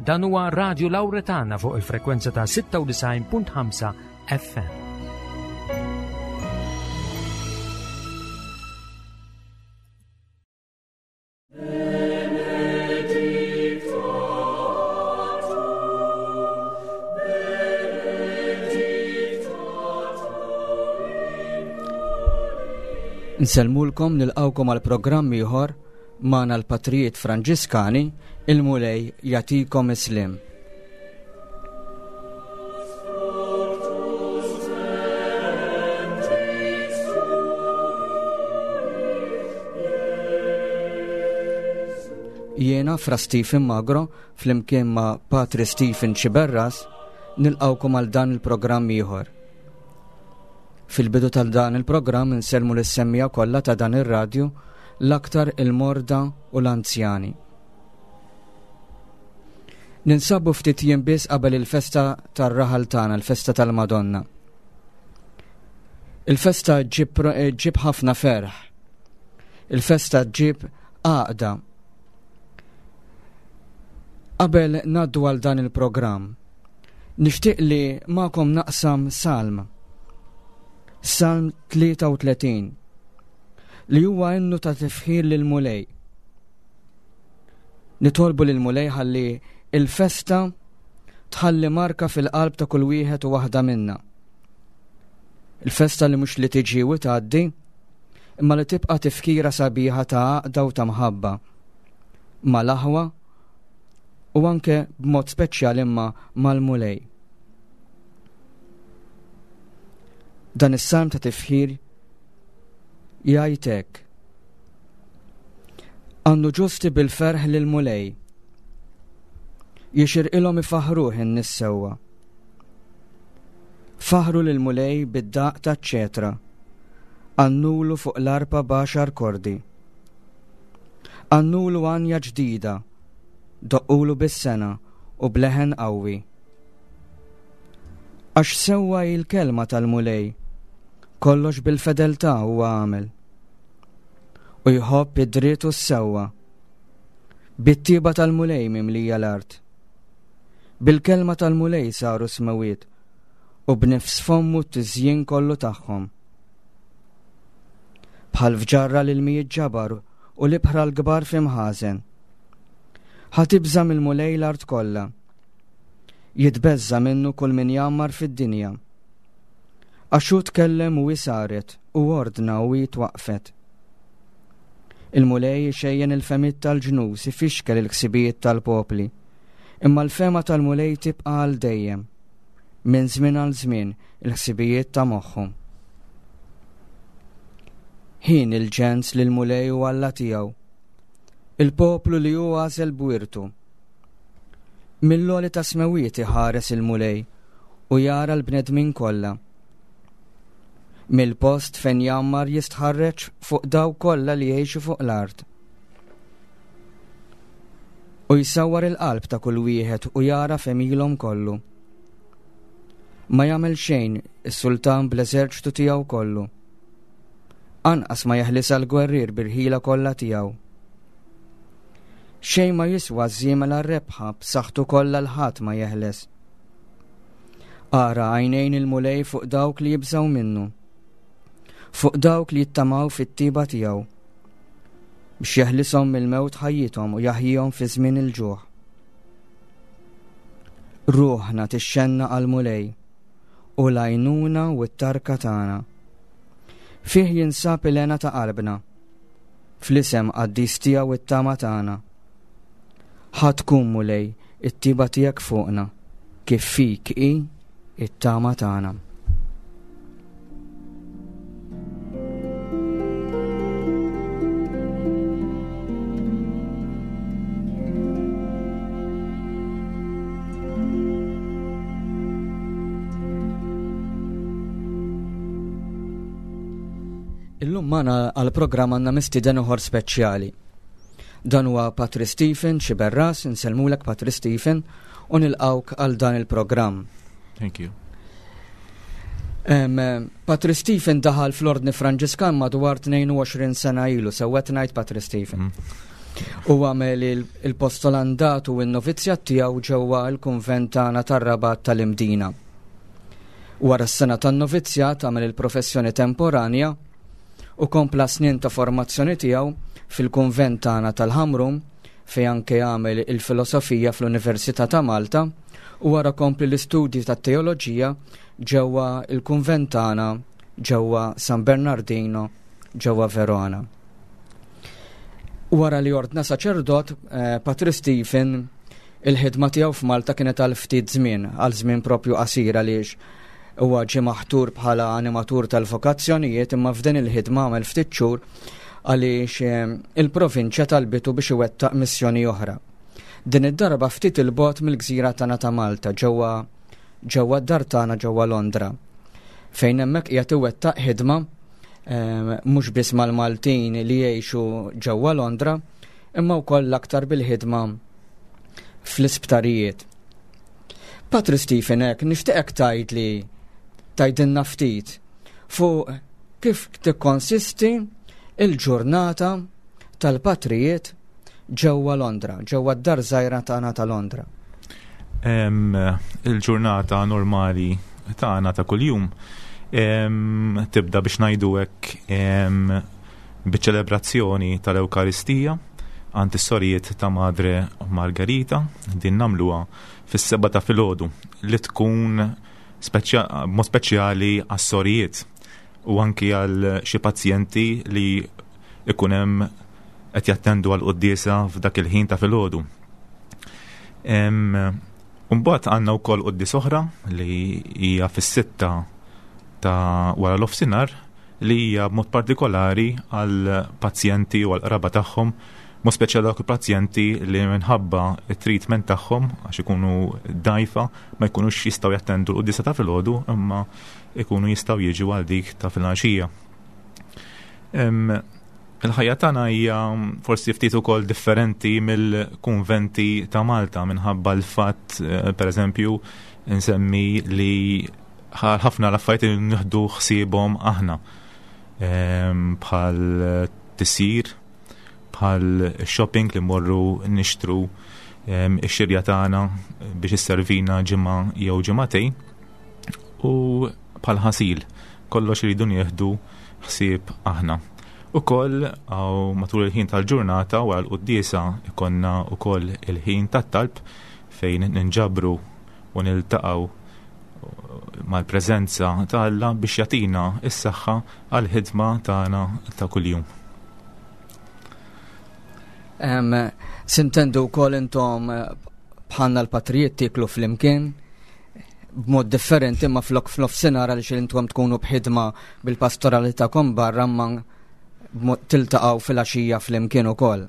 Dan huwa Radio Lauretana fuq il-frekwenza ta' 96.5 FM. Nsellmulkom nilqawkom għal programm ieħor magħna l-Patrijiet Franġiskani, il-Mulej jagħtikom is-sliem. Jiena Fra Stephen Magro flimkien ma' Patri Stephen Xiberras nilqawkom għal dan il-programm ieħor. Fil-bidu tal dan il-programm insellmu lis-semmija kollha ta' dan ir-radju l-aktar il-morda u l-anzjani. Ninsabu ftit jiem biss qabel il-festa tar-raħal tagħna, il-festa tal-Madonna. Il-festa ġib ħafna ferħ. Il-festa ġib għaqda. Qabel naddu għal dan il-programm, nixtieq li magħkom naqsam salm. Salm 33 li huwa innu ta' tifħir lil Mulej. Nitolbu lil Mulej ħalli il-festa tħalli marka fil-qalb ta' kull wieħed u waħda minna. Il-festa li mhux li tiġi u tgħaddi, imma li tibqa' tifkira sabiħa ta' għaqda u ta' mħabba mal-aħwa u anke b'mod speċjali imma mal-Mulej. Dan is-salm ta' tifħir jgħid hekk. Għandu ġusti bil-ferħ lill-Mulej. Jixirqilhom ifaħruh in-nies sewwa. Faħru lill-Mulej bid-daqq taċ-ċetra. Għannulu fuq l-arpa b'għaxar kordi. Għannulu għanja ġdida, doqqulu bis-sengħa u b'leħen qawwi. Għax sewwa hi l-kelma tal-Mulej, kollox bil-fedeltà huwa għamel. U jħobb id-dritt u s-sewwa. Bit-tieba tal-Mulej mimlija l-art. Bil-kelma tal-Mulej saru smewiet u b'nifs fommu t-tiżjin kollu tagħhom. Bħal fġarra l-ilmijiet ġabar u l-ibħra l-kbar fi mħażen. Ħa tibża' mill-Mulej l-art kollha. Jitbeżża' minnu kull min jgħammar fid-dinja. Għax hu tkellem u hi saret, u ordna u hi twaqqfet. Il-Mulej ixejjen il-fehmiet tal-ġnus, ifixkel il-ħsibijiet tal-popli. Imma l-fehma tal-Mulej tibqa' għal dejjem, minn żmien għal żmien il-ħsibijiet ta' moħħu. Ħin il-ġens li l-Mulej hu Alla tiegħu, il-poplu li hu għażel b'wirtu. Mill-għoli tas-smewwiet iħares il-Mulej u jara l-bnedmin kollha. Mill-post fejn jgħammar jistħarreġ fuq dawk kollha li jgħixu fuq l-art. U jsawwar il-qalb ta' kull wieħed u jara f'għemilhom kollu. Ma jagħmel xejn is-sultan bl-eżerċtu tiegħu kollu. Anqas ma jeħlisha l-gwerrier bil-ħila kollha tiegħu. Xejn ma jiswa ż-żiemel għar-rebħa b'saħħtu kollha l-ħadd ma jeħles. Ara għajnejn il-Mulej fuq dawk li jibżgħu minnu, fuq dawk li jittamaw fit-tiba tiegħu, biex jeħlishom mill-mewt ħajjithom u jaħjihom fi żmien il-ġuħ. Ruħna tixxenna għall-Mulej u l-għajnuna u t-tarka tagħna. Fih jinsab il-hena ta' qalbna. Fl-isem qaddis tiegħu it-tama tagħna. Ħa tkun, Mulej, it-tiba tiegħek fuqna, kif fik hi it-tama tagħna. Illum magħna għall-programm għandna mistieden ieħor speċjali. Dan huwa Patri Stephen Xiberras, insellmulek Patri Stephen u nilqawk għal dan il-programm. Thank you. Um, Patri Stephen daħal fl-Ordni Franġiskan madwar 22 sena ilu, sewwet ngħid Patri Stephen. Mm. U għamel il-postolandat u n-novizzjat tiegħu ġewwa l-kunvent tagħna tar-Rabat tal-Imdina. Wara s-sena tan-novizzjat għamel il-professjoni temporanja u kompla snin ta' formazzjoni tiegħu fil-kunvent tagħna tal-Ħamrun fejn anke għamel il-filosofija fl-Università ta' Malta u wara kompli l-istudji tat-teoloġija ġewwa il-kunvent tagħna ġewwa San Bernardino ġewwa Verona. Wara li ordna saċerdot, eh, Patri Stephen il-ħidma tiegħu f'Malta kienet għal ftit żmien, għal żmien propju qasir għaliex huwa ġie maħtur bħala animatur tal-vokazzjonijiet imma f'din il-ħidma għamel ftit xhur għaliex eh, il-provinċja talbitu biex iwettaq missjoni oħra. Din id-darba ftit il-bot mill-gżira tagħna ta' Malta ġewwa ġewwa d-dar tagħna ġewwa Londra fejn hemmhekk qiegħed iwettaq ħidma eh, mhux biss mal-Maltin li jgħixu ġewwa Londra imma wkoll l-aktar bil-ħidma fl-isptarijiet. Patri Stephen hekk nixtieqek tgħid li tgħidilna ftit fuq kif tikkonsisti il-ġurnata tal-patrijiet ġewwa Londra, ġewwa d-dar żgħira tagħna ta' Londra. Il-ġurnata normali tagħna ta' kuljum tibda biex ngħidu hekk biċ-ċelebrazzjoni tal-Ewkaristija għand is-sorijiet ta' Madre Margarita din nagħmluha fis-seba ta' filgħodu li tkun mod speċjali għas-sorijiet u anki għal xi pazjenti li ikun hemm qed jattendu għal quddiesa f'dak il-ħin ta' filgħodu. Mbagħad għandna wkoll quddies oħra li hija fis-sitta ta' wara l-ofsinhar li hija b'mod partikolari għal pazjenti u għal qraba tagħhom, mod speċjali dawk il-pazjenti li minħabba it-treatment tagħhom għax ikunu dajfa ma jkunux jistgħu jattendu l-quddiesa ta' filgħodu imma ikunu jistgħu jiġu għal dik ta' filgħaxija. Il-ħajja tagħna hija forsi ftit ukoll differenti mill-kunventi ta' Malta minħabba l-fatt, eh, pereżempju, nsemmi li ħafna l-affarijiet li nieħdu ħsiebhom aħna bħal tisir, bħal shopping li mmorru nixtru ix-xirja tagħna biex isservina ġimgħa jew ġimagħtejn u bħal ħasil kollox iridu nieħdu ħsieb aħna. Ukoll għaw matul il-ħin tal-ġurnata wara l-quddiesa ikonna ukoll il-ħin tat-talb fejn ninġabru u niltaqgħu mal-preżenza ta' Alla biex jagħtina s-saħħa għall-ħidma tagħna ta' kuljum. Sintendu wkoll intom eh, bħalna l-patrijiet tieklu flimkien b'mod differenti ma flok f'nofsinhar għaliex intom tkunu b'ħidma bil-pastorali tagħkom barra ma tiltaqgħu fil-għaxija flimkien ukoll.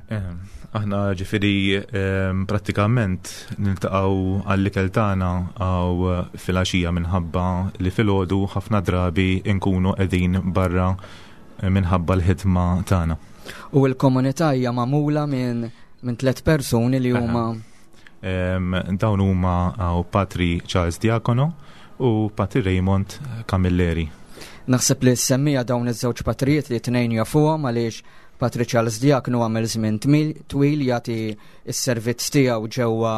Aħna ġifieri ehm, prattikament niltaqgħu għall-ikel tagħna għaw fil-għaxija minħabba li filgħodu ħafna drabi nkunu qegħdin barra eh, minħabba l-ħidma tagħna. U l-komunità hija magħmula minn minn tliet persuni li huma Dawn huma Patri Charles Diacono u Patri Raymond Camilleri. Naħseb li semmija dawn iż-żewġ patrijiet li tnejn jafuhom għaliex Patri Charles Diacono għamel żmien twil jagħti s-servizz tiegħu ġewwa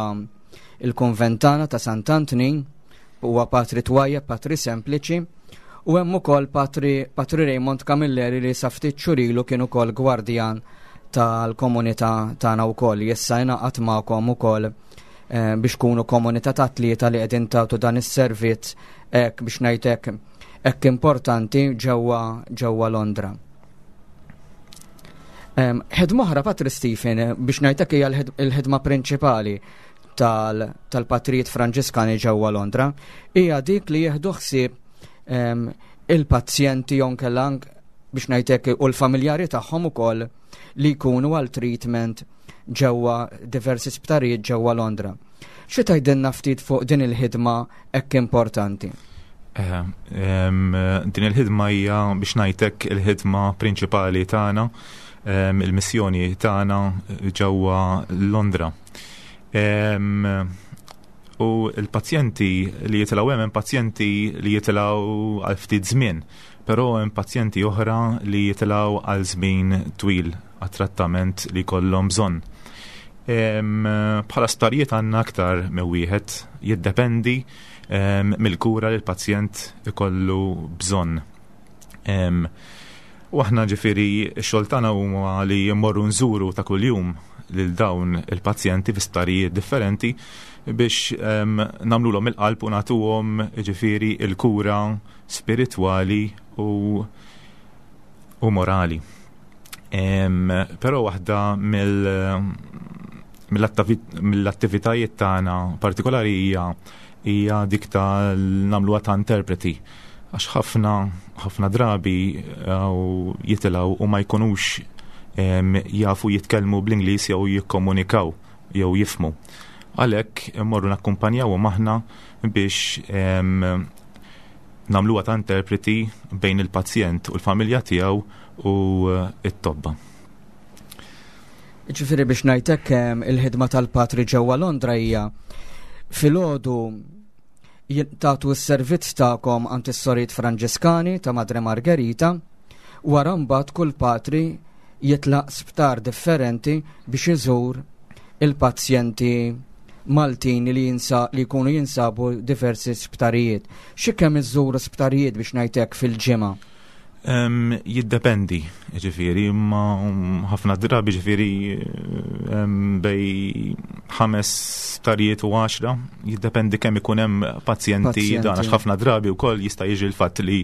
il-konventana ta' Sant'Antnin, huwa patri twajjeb, patri sempliċi, u hemm ukoll patri, patri Raymond Camilleri li sa ftit xhur ilu kien ukoll gwardjan tal-komunità tagħna wkoll. Issa ingħaqad magħkom ukoll eh, biex kunu komunità ta' tlieta li qegħdin tagħtu dan is-servizz hekk biex ngħidlek hekk importanti ġewwa ġewwa Londra. Ħidma oħra Patri Stephen biex ngħidlek hija l-ħidma prinċipali tal-patrijiet Franġiskani ġewwa Londra hija dik li jieħdu ħsieb il-pazjenti jew nkella biex ngħidlek u l-familjari tagħhom ukoll li jkunu għal treatment ġewwa diversi sptarijiet ġewwa Londra. Xi tgħidilna ftit fuq din il-ħidma hekk importanti? Eh, din il-ħidma hija biex ngħidlek il-ħidma prinċipali tagħna, il-missjoni tagħna ġewwa Londra. U l-pazjenti li jitilgħu hemm pazjenti li jitilgħu għal ftit żmien, però hemm pazjenti oħra li jitilgħu għal żmien twil għat-trattament li jkollhom bżonn. Bħala sptarijiet għandna aktar minn wieħed, jiddependi mill-kura li l-pazjent ikollu bżonn. U aħna ġifieri x-xogħol tagħna huma li mmorru nżuru ta' kuljum lil dawn il-pazjenti fi sptarijiet differenti biex nagħmlulhom il-qalb u nagħtuhom ġifieri il-kura spiritwali u u morali. Però waħda mill-attivitajiet tagħna partikolari hija hija dik ta' nagħmluha ta' interpreti għax ħafna ħafna drabi jitilgħu u ma jkunux jafu jitkellmu bl-Ingliż jew jikkomunikaw jew jifmu. Għalhekk immorru nakkumpanjawhom aħna biex nagħmluha ta' interpreti bejn il-pazjent u l-familja tiegħu u t-tobba. Ġifieri biex ngħidlek il-ħidma tal-patri ġewwa Londra hija filgħodu tagħtu s-servizz tagħkom għand is-sorijiet Franġiskani ta' Madre Margherita, wara mbagħad kull patri jitlaq sptar differenti biex iżur il-pazjenti Maltin li jinsa li jkunu jinsabu diversi sptarijiet. Xi kemm iżżuru sptarijiet biex ngħidlek fil-ġimgħa? Jiddependi, ġifieri, imma ħafna drabi ġifieri bejn 5 sptarijiet u 10, jiddependi kemm ikun hemm pazjenti dan, għax ħafna drabi wkoll jista' jiġi l-fatt li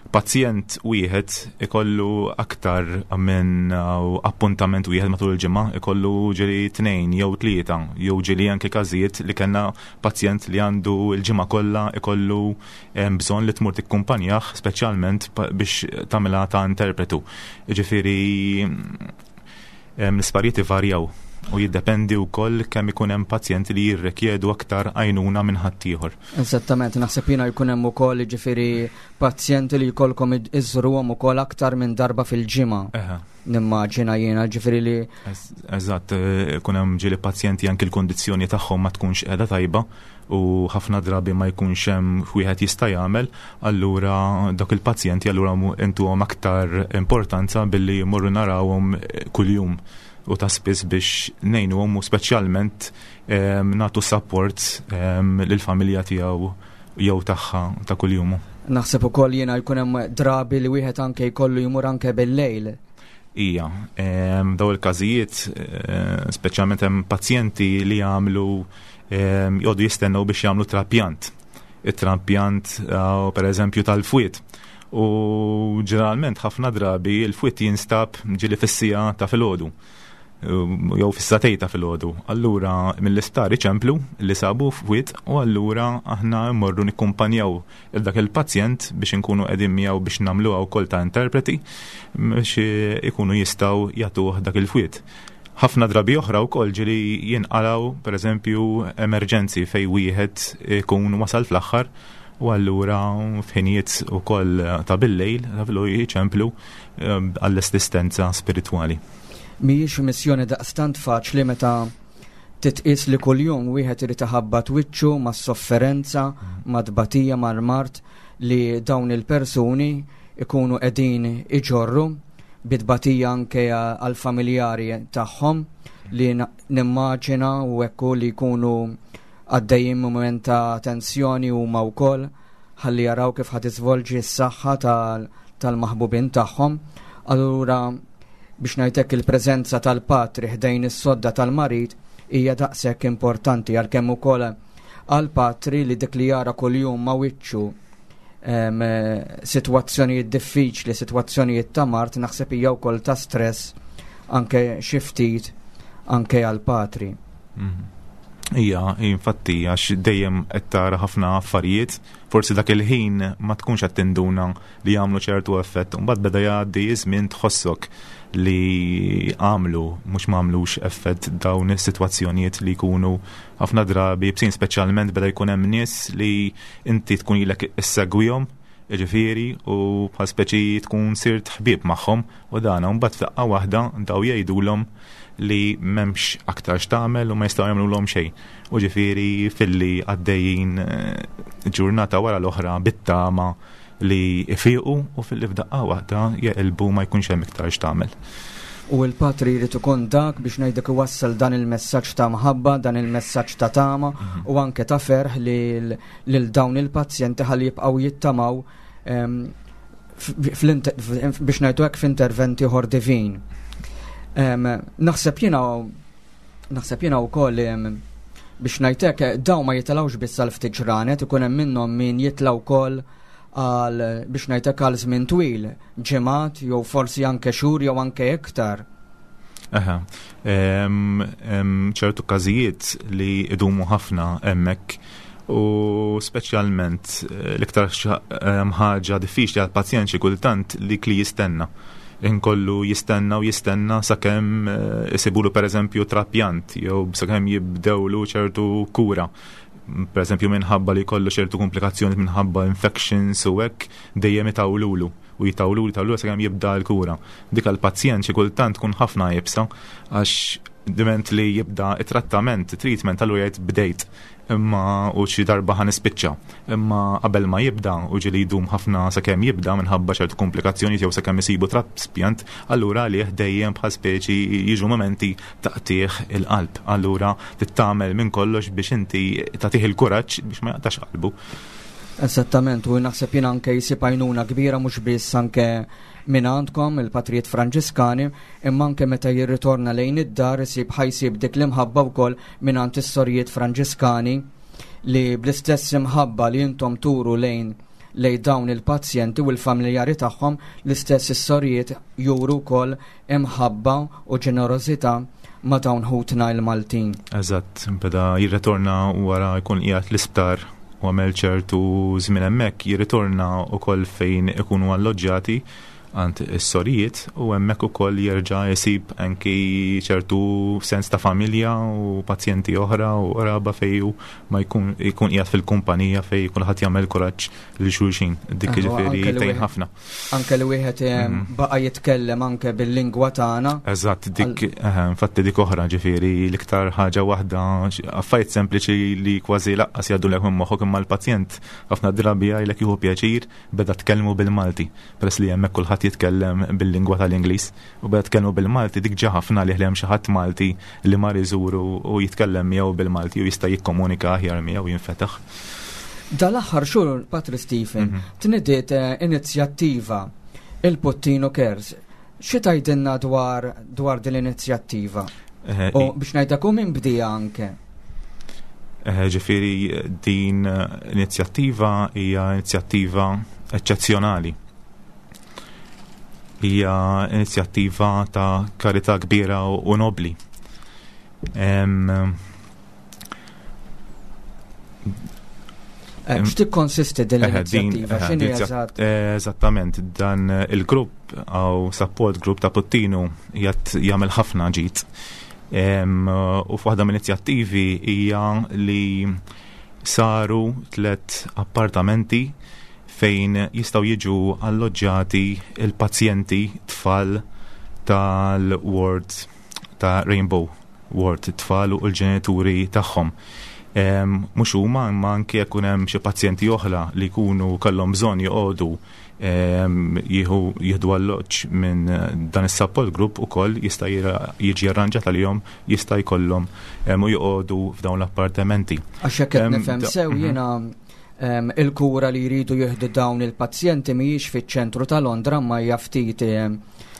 pazjent wieħed ikollu aktar minn appuntament wieħed matul il-ġimgħa, ikollu ġieli 2 jew 3, jew ġieli anke każijiet li kellna pazjent li għandu l-ġimgħa kollha ikollu bżonn li tmur tikkumpanjah speċjalment biex tagħmilha ta' interpretu. Ġifieri l-isparijiet ivarjaw u jiddependi wkoll kemm ikun hemm pazjenti li jirrikjedu aktar għajnuna minn ħaddieħor. Eżattament, naħseb jiena jkun hemm ukoll ġifieri pazjenti li jkollkom iżżuruhom ukoll aktar minn darba fil-ġimgħa. Nimmaġina jiena ġifieri li Eżatt, ikun hemm ġieli pazjenti anki l-kundizzjoni tagħhom ma tkunx qiegħda tajba u ħafna drabi ma jkunx hemm wieħed jista' jagħmel, allura dak il-pazjenti allura intuhom aktar importanza billi jmorru narawhom kuljum u ta' spiss biex ngħinuhom u speċjalment nagħtu support lill-familja tiegħu jew tagħha ta' kuljum. Naħseb ukoll jiena jkun hemm drabi li wieħed anke jkollu jmur anke bil-lejl. Ija, daw il-każijiet, speċjalment hemm pazjenti li jagħmlu jgħodu jistennew biex jagħmlu trapjant. It-trapjant per eżempju tal-fwied. U ġeneralment ħafna drabi il-fwied jinstab ġieli fis-sija ta' filgħodu jew fis-satej ta' filgħodu. Allura mill-isptar iċemplu li sabu fwied u allura aħna mmorru nikkumpanjaw il dak il-pazjent biex inkunu qegħdin miegħu biex nagħmluha wkoll ta' interpreti biex ikunu jistgħu jagħtuh dak il-fwied. Ħafna drabi oħra wkoll ġieli jinqalgħu pereżempju emerġenzi fejn wieħed ikun wasal fl-aħħar u allura f'ħinijiet ukoll ta' bil-lejl ta' filgħodu jiċemplu għall-assistenza spiritwali. Mhijiex missjoni daqstant faċli meta titqies li kuljum wieħed irid iħabbat wiċċu mas-sofferenza, mat-tbatija, mal-mard li dawn il-persuni ikunu qegħdin iġorru bi tbatija anke għall-familjari tagħhom li nimmaġina u hekk li jkunu għaddejjin mument ta' tensjoni huma wkoll ħalli jaraw kif ħad iżvolġi s-saħħa tal-maħbubin tagħhom. Allura biex ngħidlek il-preżenza tal-patri ħdejn is-sodda tal-marid hija daqshekk importanti għalkemm ukoll għall-patri li dik li jara kuljum ma' wiċċu sitwazzjonijiet diffiċli, sitwazzjonijiet ta' mard, naħseb hija wkoll ta' stress anke xi ftit anke għall-patri. Ija, infatti, għax dejjem qed tara ħafna affarijiet, forsi dak il-ħin ma tkunx qed tinduna li jagħmlu ċertu effett, mbagħad beda jgħaddi żmien tħossok li għamlu mhux ma għamlux effett dawn is-sitwazzjonijiet li jkunu ħafna drabi bsin, speċjalment beda jkun hemm nies li inti tkun ilek issegwihom, jiġifieri, u bħal speċi tkun sirt ħbieb magħhom u dan, u mbagħad f'daqqa waħda daw jgħidulhom li m'hemmx aktar x'tagħmel u ma jistgħu jagħmlulhom xejn. U ġifieri filli għaddejjin eh, ġurnata wara l-oħra bit-tama li jfiqu u filli f'daqqa waħda jeqilbu ma jkunx hemm iktar x'tagħmel. U l-patri jrid ikun dak biex ngħidlek iwassal dan il-messaġġ ta' mħabba, dan il-messaġġ ta' tama mhm. u anke ta' ferħ lil dawn il-pazjenti ħalli jibqgħu jittamaw ehm, biex ngħidu hekk f'intervent ieħor divin. Ehm, naħseb jiena naħseb jiena wkoll ehm, biex ngħidlek dawn ma jitilgħux biss għal ftit ġranet, ikun hemm minnhom min jitla' wkoll għal biex ngħidlek għal żmien twil, ġimgħat jew forsi anke xhur jew anke iktar. Aha. Ċertu każijiet li idumu ħafna hemmhekk u speċjalment eh, l-iktar ħaġa diffiċli għal pazjent xi kultant li kli jistenna. Inkollu jistenna u jistenna sakemm eh, isibulu pereżempju trapjant jew sakemm jibdewlu ċertu kura. Per eżempju minħabba li jkollu ċertu komplikazzjoni minħabba infections u hekk dejjem itawlulu u jitawlulu jitawlulu sakemm jibda l-kura. Dik għall-pazjent xi kultant tkun ħafna iebsa għax diment li jibda it-trattament, treatment, allura jgħid bdejt imma u xi darba ħa nispiċċa. Imma qabel ma jibda u ġieli jdum ħafna sakemm jibda minħabba ċertu komplikazzjonijiet jew sakemm isibu traspjant, allura għalih dejjem bħal speċi jiġu mumenti ta' qtigħ il-qalb. Allura trid tagħmel minn kollox biex inti tagħtih il-kuraġġ biex ma jaqtax qalbu. Eżattament, u naħseb jien anke jsib għajnuna kbira mhux biss anke minn għandkom il-Patrijiet Franġiskani, imma anke meta jirritorna lejn id-dar isib ħa jsib dik l-imħabba wkoll mingħand is-sorijiet Franġiskani li bl-istess imħabba li intom turu lejn lejn dawn il-pazjenti u l-familjari tagħhom l-istess is-sorijiet juru wkoll imħabba u ġenerożità ma' dawn ħutna il-Maltin. Eżatt, beda jirritorna wara jkun qiegħed l-isptar u għamel ċertu żmien hemmhekk, jirritorna wkoll fejn ikunu alloġġjati għand is-sorijiet u hemmhekk ukoll jerġa' jsib anki ċertu sens ta' familja u pazjenti oħra u qraba fejn hu ma jkun jkun qiegħed fil-kumpanija fejn kulħadd jagħmel kuraġġ lil xulxin. Dik jiġifieri tgħin ħafna. Anke li wieħed eh, mhm. baqa' jitkellem anke bil-lingwa tagħna. Eżatt, dik eh, infatti dik oħra ġifieri l-iktar ħaġa waħda affarijiet sempliċi li kważi laqqas jgħaddu lek minn moħħok imma l-pazjent ħafna drabi jgħidlek jieħu pjaċir beda tkellmu bil-Malti, peress li hemmhekk kulħadd jitkellem bil-lingwa tal-Ingliż, u beda tkellmu bil-Malti dik ġa ħafna għalih li hemm xi ħadd Malti li mar iżuru u jitkellem miegħu bil-Malti u jista' jikkomunika aħjar miegħu jinfetaħ. Dal-aħħar xhur, Patri Stephen, mhm. tnidiet eh, inizjattiva il-Puttinu Cares. Xi tgħidilna dwar dwar din l-inizjattiva? Eh, u biex ngħidlek u min bdija anke. Eh, ġifieri din inizjattiva hija inizjattiva eċċezzjonali. Hija inizjattiva ta' karità kbira u nobli. Eh, x'tikkonsisti din eh, l-inizjattiva? X'inhi eh, eżatt? Eżattament, dan il-grupp għaw support group ta' Puttinu jgħat jagħmel ħafna ġid. U f'waħda mill-inizjattivi hija li saru tlet appartamenti fejn jistgħu jiġu alloġġjati il-pazjenti tfal tal-ward ta' Rainbow Ward, it-tfal u l-ġenituri tagħhom. Mhux huma imma anke jekk hemm xi pazjenti oħra li jkunu kellhom bżonn joqogħdu jieħu jieħdu alloġġ minn dan is-support group ukoll jista' jiġi arranġat għalihom jista' jkollhom u joqogħdu f'dawn l-appartamenti. Għax hekk qed nifhem sew mhm. jiena il-kura li jridu jieħdu dawn il-pazjenti mhijiex fiċ-ċentru ta' Londra ma hija ftit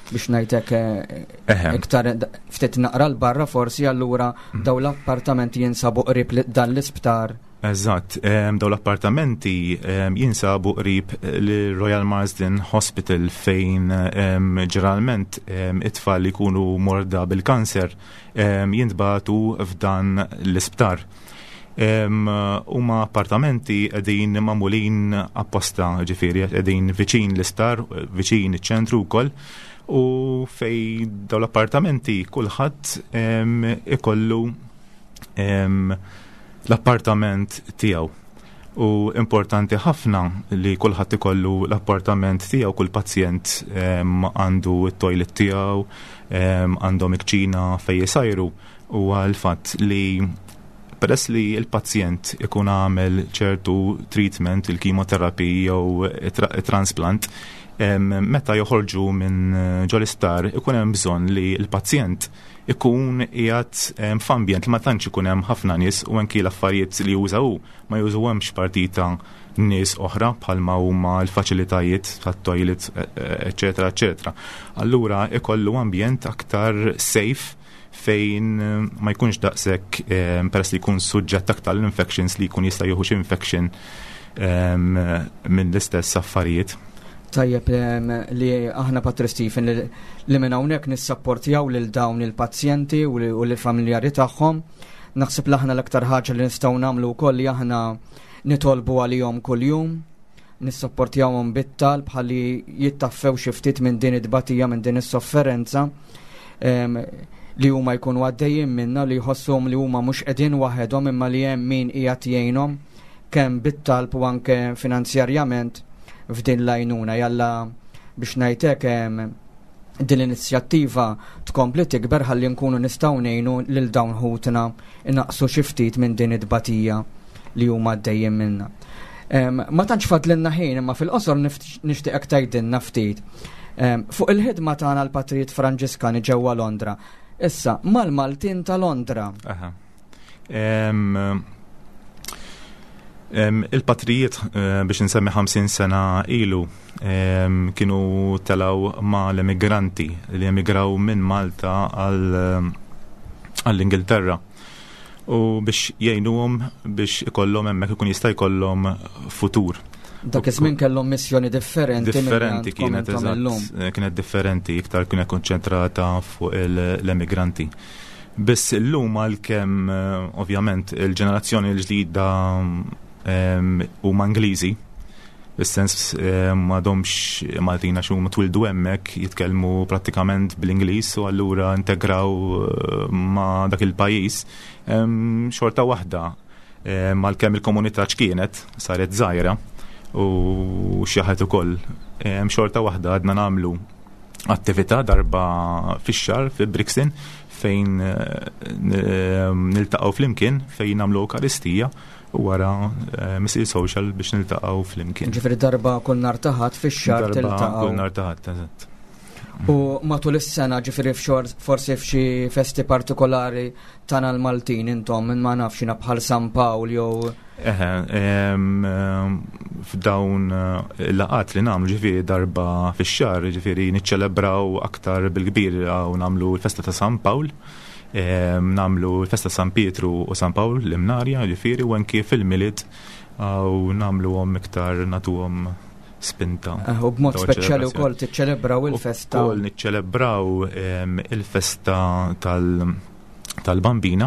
biex ngħidlek eh, iktar ftit naqra l-barra forsi allura mhm. dawn l-appartamenti jinsabu qrib dan l-isptar. Eżatt, dawn l-appartamenti jinsabu qrib l-Royal Marsden Hospital fejn ġeneralment it-tfal li jkunu morda bil-kanser jintbagħtu f'dan l-isptar. Huma appartamenti qegħdin magħmulin apposta, ġifieri qegħdin viċin l-isptar, viċin iċ-ċentru wkoll, u fej dawn l-appartamenti kulħadd ikollu l-appartament tiegħu. U importanti ħafna li kulħadd ikollu l-appartament tiegħu, kull pazjent għandu t-toilet tiegħu, għandhom il-kċina fejn jisajru, huwa l-fatt li peress li l-pazjent ikun għamel ċertu treatment, il-chemotherapy jew transplant, meta joħorġu minn ġol-isptar ikun hemm bżonn li l-pazjent ikun qiegħed f'ambjent li ma tantx ikun hemm ħafna nies u anki l-affarijiet li juża hu ma jużuhomx partita nies oħra bħalma huma l-faċilitajiet tat-toilet, eċetera, eċetera. Allura ikollu ambjent aktar safe fejn ma jkunx daqshekk peress li jkun suġġett aktar l-infections li jkun jista' jieħu xi infection minn l-istess affarijiet. Tajjeb li aħna Patri Stephen li minn hawnhekk nissapportjaw lil dawn il-pazjenti u lill-familjari tagħhom. Naħseb li aħna l-aktar ħaġa li nistgħu nagħmlu wkoll li aħna nitolbu għalihom kuljum, nissapportjawhom bit-talb ħalli jittaffew xi ftit minn din it-tbatija, minn din is-sofferenza li huma jkunu għaddejjin minna, li jħossuhom li huma mhux qegħdin waħedhom imma li hemm min qiegħed jgħinhom kemm bit-talb u anke finanzjarjament f'din l-għajnuna. Jalla biex ngħidlek din l-inizjattiva tkompli tikber ħalli nkunu nistgħu ngħinu lil dawn ħutna inaqsu xi ftit minn din it-tbatija li huma għaddejjin minna. Ma tantx fadlilna ħin, imma fil-qosor nixtieqek tgħidilna ftit. Fuq il-ħidma tagħna l-Patrijiet Franġiskani ġewwa Londra. Issa, mal-Maltin ta' Londra. Aha. Il-patrijiet biex insemmi 50 sena ilu kienu telaw ma l-emigranti li emigraw minn Malta għall-Ingilterra u biex jgħinuhom biex ikollhom hemmhekk ikun jista' jkollhom futur. Dak iż-żmien kellhom missjoni differenti minn Differenti għandkom kienet, intom eżatt. illum. Kienet differenti, iktar kienet konċentrata fuq l-emigranti. Biss illum għalkemm ovvjament il-ġenerazzjoni l-ġdida huma Ingliżi, fis-sens m'għadhomx Maltin għax huma twildu hemmhekk, jitkellmu prattikament bl-Ingliż u allura integraw ma' dak il-pajjiż. Xorta waħda, għalkemm il-komunità x'kienet saret żgħira u xi ħadd ukoll, xorta waħda għadna nagħmlu attività darba fix-xahar fi Brixton fejn niltaqgħu flimkien, fejn nagħmlu Ewkaristija u wara misir social biex niltaqgħu flimkien. Ġifieri darba kull nhar ta' Ħadd fix-xahar Darba tiltaqgħu. kull nhar ta' Ħadd, eżatt. U matul is-sena, ġifieri forsi f'xi festi partikolari tagħna l-Maltin intom, minn ma nafx jiena bħal San Pawl jew Eħe, f'dawn il-laqgħat li nagħmlu ġifieri darba fix-xahar, ġifieri niċċelebraw aktar bil-kbir u nagħmlu l-festa ta' San Pawl, nagħmlu l-festa San Pietru u San Pawl l-Imnarja, ġifieri, u anki fil-Milied u nagħmluhom iktar nagħtuhom spinta. U b'mod Dawn speċjali ċelebrazzjoni. wkoll tiċċelebraw il-festa. Ukoll niċċelebraw il-festa tal-Bambina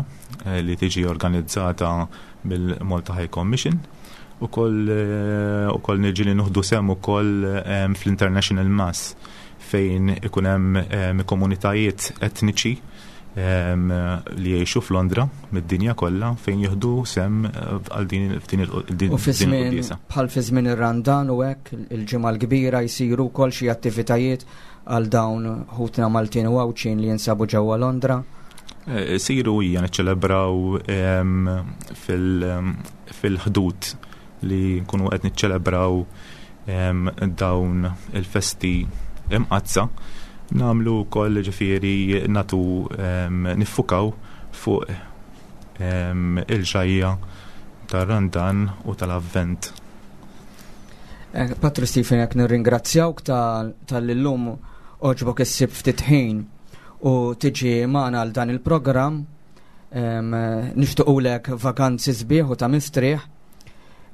li tiġi organizzata mill-Malta High Commission. Ukoll niġi li nieħdu sehem ukoll fl-International Mass fejn ikun hemm komunitajiet etniċi li jgħixu f'Londra mid-dinja kollha fejn jieħdu sehem għal din, f'din il-, din, U fi din żmien il-quddiesa. bħal fi żmien ir-Randan u hekk il-ġimgħa l-kbira jsiru wkoll xi attivitajiet għal dawn ħutna Maltin u Għawdxin li jinsabu ġewwa Londra. Siru hija niċċelebraw fil-ħdud li nkunu qed niċċelebraw dawn il-festi imqazza. Nagħmlu wkoll ġifieri natu niffukaw fuq il-ġajja tar-Randan u tal-Avvent. Patri Stephen, jekk nirringrazzjawk tal-illum oġbok issib ftit ħin u tiġi magħna għal dan il-programm. Nixtiequlek vakanzi sbieħ u ta' mistrieħ.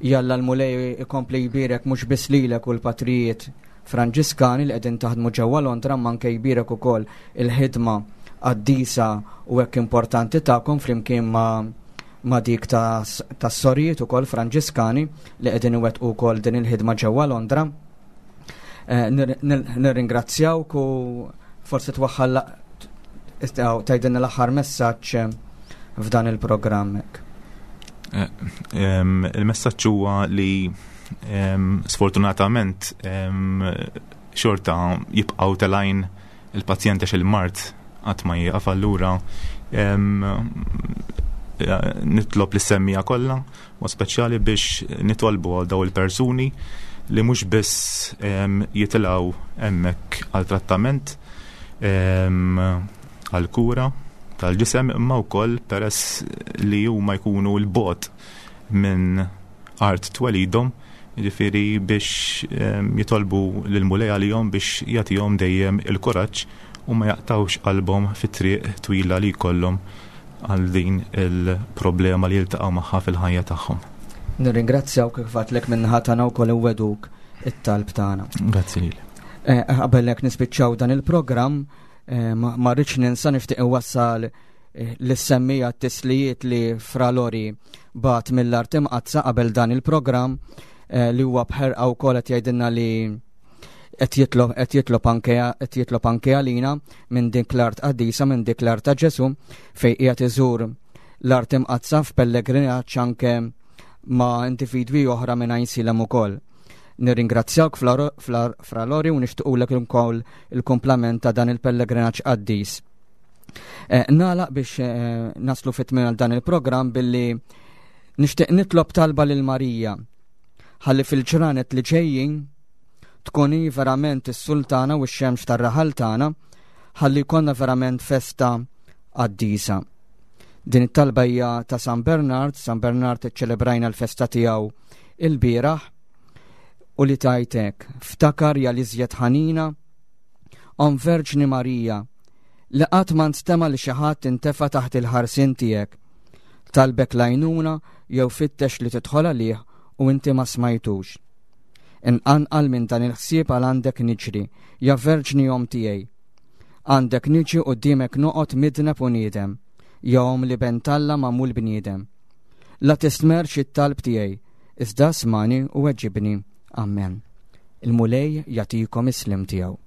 Jalla l-Mulej ikompli jbierek mhux biss lilek u l-patrijiet Franġiskani li qegħdin taħdmu ġewwa Londra, ma anke jbierek ukoll il-ħidma qaddisa u hekk importanti tagħkom flimkien ma' dik tas-sorijiet ukoll Franġiskani li qegħdin iwettqu wkoll din il-ħidma ġewwa Londra. Nirringrazzjawk u forsi twaħħal tgħidilna l-aħħar messaġġ f'dan il-programm hekk. Eh, il-messaġġ huwa li sfortunatament xorta jibqgħu telajn il-pazjent għax il-mard qatt ma jieqaf allura nitlob lis-semmija kollha mod speċjali biex nitolbu għal daw il-persuni li mhux biss jitilgħu hemmhekk għal trattament għal kura tal-ġisem imma wkoll peress li huma jkunu l-bot minn art twelidhom jiġifieri biex jitolbu lill-Mulej għalihom biex jagħtihom dejjem il-kuraġġ u ma jaqtgħux qalbhom fit-triq twila li jkollhom għal din il-problema li jiltaqgħu magħha fil-ħajja tagħhom. Nirringrazzjawk kif għadlek min-naħa tagħna wkoll inwegħduk it-talb tagħna. Grazzi lilek. Eh, qabel hekk nispiċċaw dan il-programm, eh, ma rridx ninsa nixtieq inwassal eh, l-semmija t-tislijiet li Fra Lori bat mill-art imqaddsa qabel dan il-programm li huwa bħerqa wkoll qed jgħidilna li qed jitlob qed jitlob anke qed jitlob anke għalina minn dik l-art qaddisa minn dik l-art ta' Ġesu fejn qiegħed iżur l-art imqaddsa f'pellegrinaġġ anke ma' individwi oħra minn Għajnsielem ukoll. Nirringrazzjawk Fra Lori u nixtiequlek ukoll il-kumplament ta' dan il-pellegrinaġġ qaddis. Eh, nagħlaq biex eh, naslu fit-tmiem għal dan il-programm billi nixtieq nitlob talba lil Marija ħalli fil-ġranet li ġejjin tkun hi verament is-sultana u x-xemx tar-raħal tagħna ħalli jkollna verament festa qaddisa. Din it-talba hija ta' San Bernard, San Bernard iċċelebrajna l-festa tiegħu il-bieraħ u li tajtek ftakar ja l-iżjed ħanina Om Verġni Marija, li qatt ma nstema' li xi ħadd intefa' taħt il-ħarsien tiegħek. Talbek l-għajnuna jew fittex li tidħol għalih u inti ma smajtux. Inqanqal minn dan il-ħsieb għal għandek niġri, ja Verġni Omm tiegħi. Għandek niġi quddiemek noqgħod midneb u niedem, ja Omm l-Iben t'Alla magħmul bniedem. La tistmerrx it-talb tiegħi, iżda smani u weġibni. Amen. Il-Mulej jagħtikom is-sliem tiegħu.